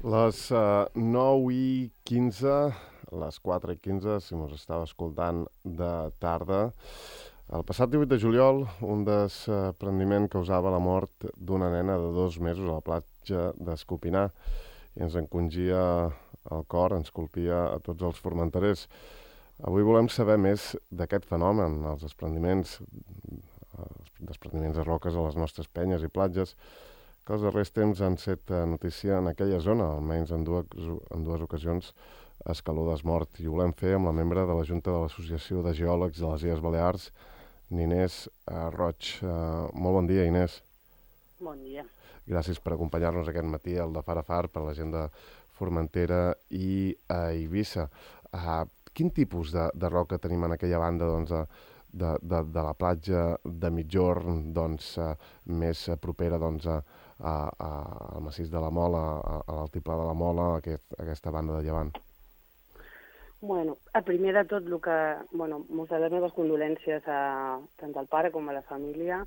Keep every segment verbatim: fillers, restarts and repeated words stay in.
Les uh, nou i quinze, les quatre i quinze, si mos estava escoltant de tarda. El passat divuit de juliol, un desprendiment causava la mort d'una nena de dos mesos a la platja d'Escopinar i ens encongia el cor, ens colpia a tots els formenterers. Avui volem saber més d'aquest fenomen, els desprendiments, els desprendiments de roques a les nostres penyes i platges, que els darrers temps han set notícia en aquella zona, almenys en dues, en dues ocasions escaló desmort. I ho volem fer amb la membre de la Junta de l'Associació de Geòlegs de les Illes Balears, Inés uh, Roig. Uh, molt bon dia, Inés. Bon dia. Gràcies per acompanyar-nos aquest matí al de Far a Far per la gent de Formentera i a Eivissa. Uh, quin tipus de, de roca tenim en aquella banda, doncs, de, de, de la platja de Migjorn, doncs, uh, més propera, doncs, a, a, a, al massís de la Mola, a, a l'altiplà de la Mola, a, aquest, a aquesta banda de llevant? Bueno, a primer de tot, el que, bueno, mostrar les meves condolències a tant al pare com a la família,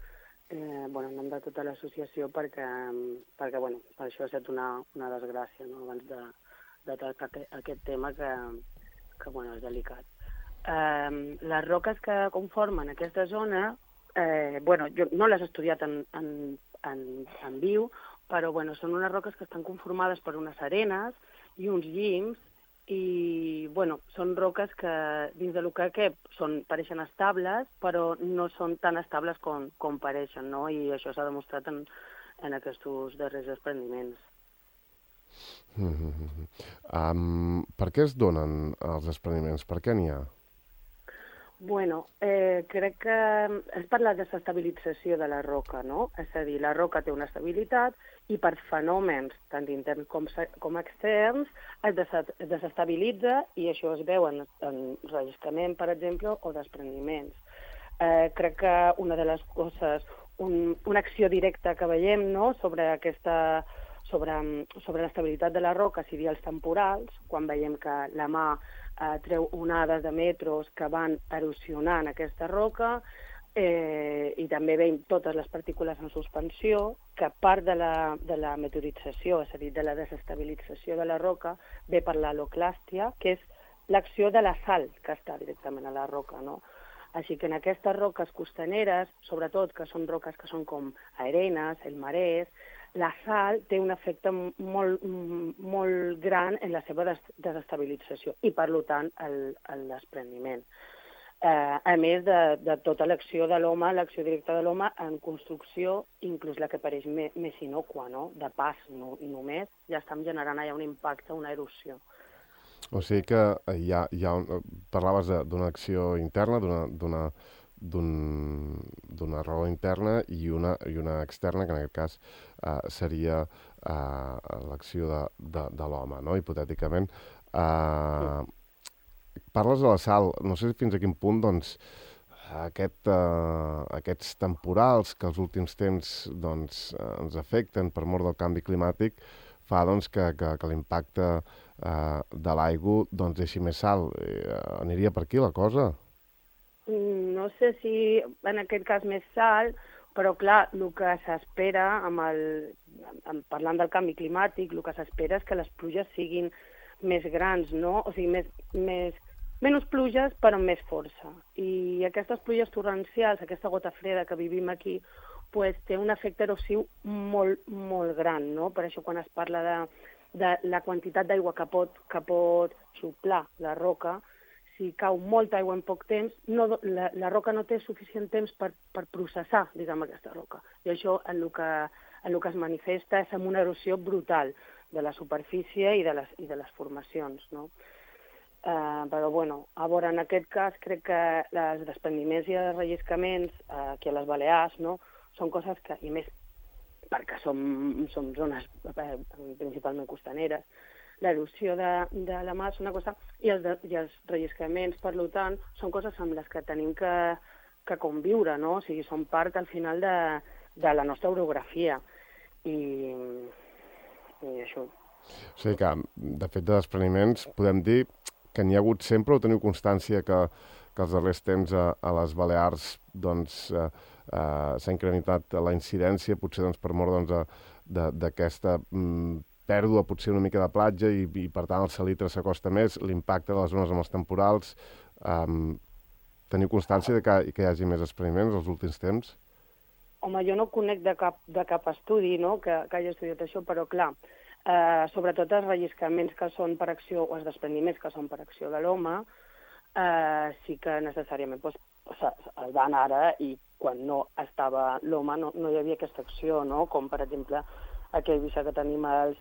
eh, bueno, en nom de tota l'associació, perquè, perquè bueno, això ha estat una, una desgràcia, no?, abans de, de tractar aquest, aquest tema que, que bueno, és delicat. Eh, les roques que conformen aquesta zona, eh, bueno, jo no les he estudiat en, en, en, en viu, però bueno, són unes roques que estan conformades per unes arenes i uns llims, i bueno, són roques que dins del que cap són, pareixen estables, però no són tan estables com, com pareixen, no? I això s'ha demostrat en, en aquests darrers desprendiments. Mm-hmm. Um, per què es donen els desprendiments? Per què n'hi ha? Bueno, eh, crec que és per la desestabilització de la roca, no? És a dir, la roca té una estabilitat i per fenòmens tant interns com, com externs es, des es desestabilitza i això es veu en, en relliscament, per exemple, o desprendiments. Eh, crec que una de les coses, un, una acció directa que veiem, no?, sobre aquesta sobre, sobre l'estabilitat de la roca seria els temporals, quan veiem que la mà eh, treu onades de metros que van erosionant aquesta roca, eh, i també veiem totes les partícules en suspensió, que part de la, de la meteorització, és a dir, de la desestabilització de la roca, ve per l'haloclàstia, que és l'acció de la sal que està directament a la roca, no? Així que en aquestes roques costaneres, sobretot que són roques que són com arenes, el marès, la sal té un efecte molt, molt gran en la seva des desestabilització i, per tant, el, el desprendiment. Eh, a més de, de tota l'acció de l'home, l'acció directa de l'home en construcció, inclús la que pareix me, més innocua, no?, de pas no, només, ja estem generant allà un impacte, una erosió. O sigui que hi ha, hi ha un, parlaves d'una acció interna, d'una d'una raó interna i una, i una externa, que en aquest cas uh, seria uh, l'acció de, de, de l'home, no?, hipotèticament. Uh, sí. Parles de la sal, no sé fins a quin punt, doncs, aquest, uh, aquests temporals que els últims temps doncs, uh, ens afecten per mort del canvi climàtic fa doncs, que, que, que l'impacte uh, de l'aigua doncs, deixi més sal. Uh, aniria per aquí la cosa? No sé si en aquest cas més sal, però clar, el que s'espera, amb el, amb, parlant del canvi climàtic, el que s'espera és que les pluges siguin més grans, no? O sigui, més, més, menys pluges, però amb més força. I aquestes pluges torrencials, aquesta gota freda que vivim aquí, pues, té un efecte erosiu molt, molt gran, no? Per això quan es parla de, de la quantitat d'aigua que pot, que pot xuplar la roca, si cau molta aigua en poc temps, no, la, la roca no té suficient temps per, per processar, diguem, aquesta roca. I això en el, que, en el que es manifesta és amb una erosió brutal de la superfície i de les, i de les formacions, no? Uh, però, bueno, a veure, en aquest cas crec que els desprendiments i els relliscaments uh, aquí a les Balears, no?, són coses que, i més perquè som, som zones eh, principalment costaneres, l'erosió de, de la mà és una cosa, i els, de, i els relliscaments, per tant, són coses amb les que tenim que, que conviure, no? O sigui, són part, al final, de, de la nostra orografia. I, i això. O sigui que, de fet, de despreniments, podem dir que n'hi ha hagut sempre, o teniu constància que, que els darrers temps a, a les Balears doncs, eh, eh, s'ha incrementat la incidència, potser doncs, per mort doncs, d'aquesta... Mm, pèrdua potser una mica de platja i, i per tant el salitre s'acosta més, l'impacte de les zones amb els temporals. Um, teniu constància de que, que hi hagi més experiments els últims temps? Home, jo no conec de cap, de cap estudi, no?, que, que hagi estudiat això, però clar, eh, sobretot els relliscaments que són per acció, o els despreniments que són per acció de l'home, eh, sí que necessàriament doncs, es van ara i quan no estava l'home no, no hi havia aquesta acció, no?, com per exemple aquí a Eivissa que tenim els,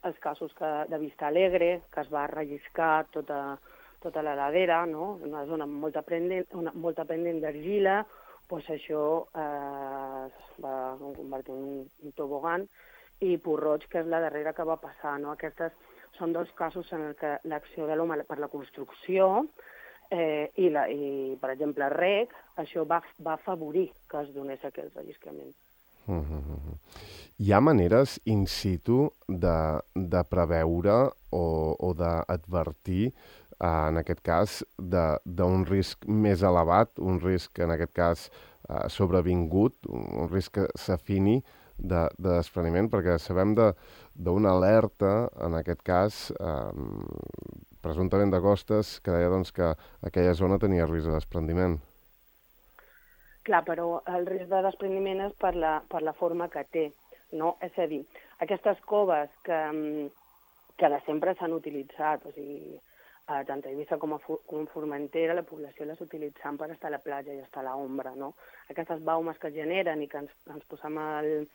els casos que, de Vista Alegre, que es va relliscar tota, tota la ladera, no?, una zona molt pendent, una, molta pendent d'argila, doncs això eh, es va convertir en un, un tobogan, i Puig-roig, que és la darrera que va passar, no? Aquestes són dos casos en què l'acció de l'home per la construcció eh, i, la, i, per exemple, rec, això va, va afavorir que es donés aquest relliscament. Uh -huh. Hi ha maneres in situ de, de preveure o, o d'advertir, eh, en aquest cas, d'un risc més elevat, un risc, en aquest cas, eh, sobrevingut, un risc que s'afini de, de despreniment, perquè sabem d'una alerta, en aquest cas, eh, presumptament de costes, que deia doncs, que aquella zona tenia risc de desprendiment. Clar, però el risc de despreniment és per la, per la forma que té, no? És a dir, aquestes coves que, que de sempre s'han utilitzat, o sigui, eh, tant a Eivissa com a, com a Formentera, la població les utilitzant per estar a la platja i estar a l'ombra, no? Aquestes baumes que es generen i que ens, ens posem el,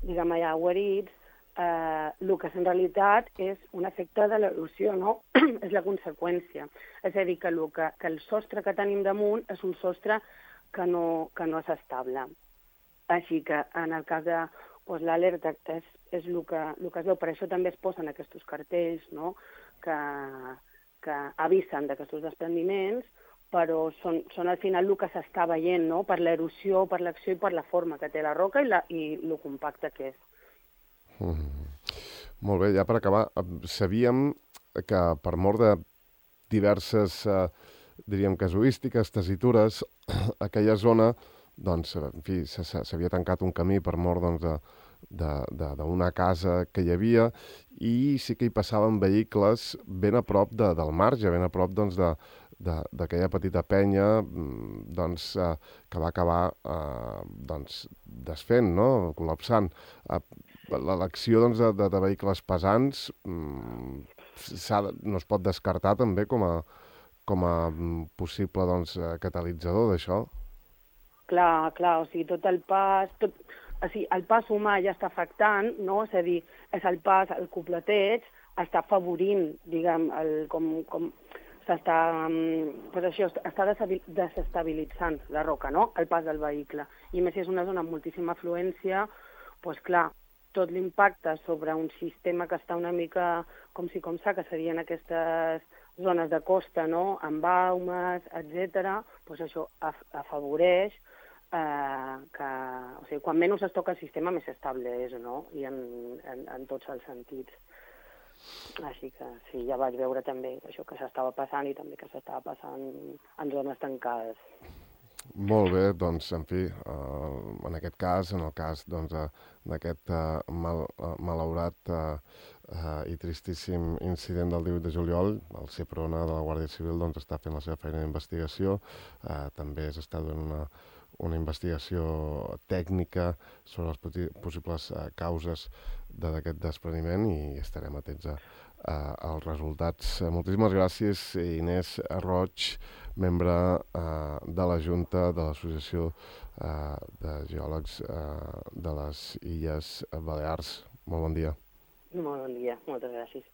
diguem, allà guarits, eh, el que en realitat és un efecte de l'erosió, no? És la conseqüència. És a dir, que el, que, que el sostre que tenim damunt és un sostre que no, que no és estable. Així que en el cas de doncs, l'alerta és, és el que, el que es veu, per això també es posen aquests cartells, no?, que, que avisen d'aquests desprendiments, però són, són al final el que s'està veient, no?, per l'erosió, per l'acció i per la forma que té la roca i, la, i el compacte que és. Mm. Molt bé, ja per acabar, sabíem que per mort de diverses, eh, diríem, casuístiques, tessitures, aquella zona, doncs, en fi, s'havia tancat un camí per mort doncs, d'una casa que hi havia i sí que hi passaven vehicles ben a prop de, del marge, ben a prop doncs, de, d'aquella petita penya doncs, eh, que va acabar eh, doncs, desfent, no?, col·lapsant. Eh, L'elecció doncs, de, de vehicles pesants mm, no es pot descartar també com a, com a possible doncs, catalitzador d'això? Clar, clar, o sigui, tot el pas, tot, o sigui, el pas humà ja està afectant, no? És a dir, és el pas, el copleteig, està afavorint, diguem, el, com, com s'està, pues això, està desestabilitzant la roca, no?, el pas del vehicle. I més si és una zona amb moltíssima afluència, doncs clar, tot l'impacte sobre un sistema que està una mica com si com sa, que serien aquestes zones de costa, no?, amb baumes, etcètera, doncs això afavoreix eh, que, o sigui, quan menys es toca el sistema, més estable és, no?, i en, en, en tots els sentits. Així que sí, ja vaig veure també això que s'estava passant i també que s'estava passant en zones tancades. Molt bé, doncs, en fi, uh, en aquest cas, en el cas doncs, d'aquest uh, mal, uh, malaurat uh, uh, i tristíssim incident del divuit de juliol, el Seprona de la Guàrdia Civil doncs, està fent la seva feina d'investigació, uh, també s'està donant una, una investigació tècnica sobre les possibles uh, causes d'aquest despreniment i estarem atents a, a, als resultats. Moltíssimes gràcies, Inés Roig, membre uh, de la Junta de l'Associació uh, de Geòlegs uh, de les Illes Balears. Molt bon dia. Molt bon dia, moltes gràcies.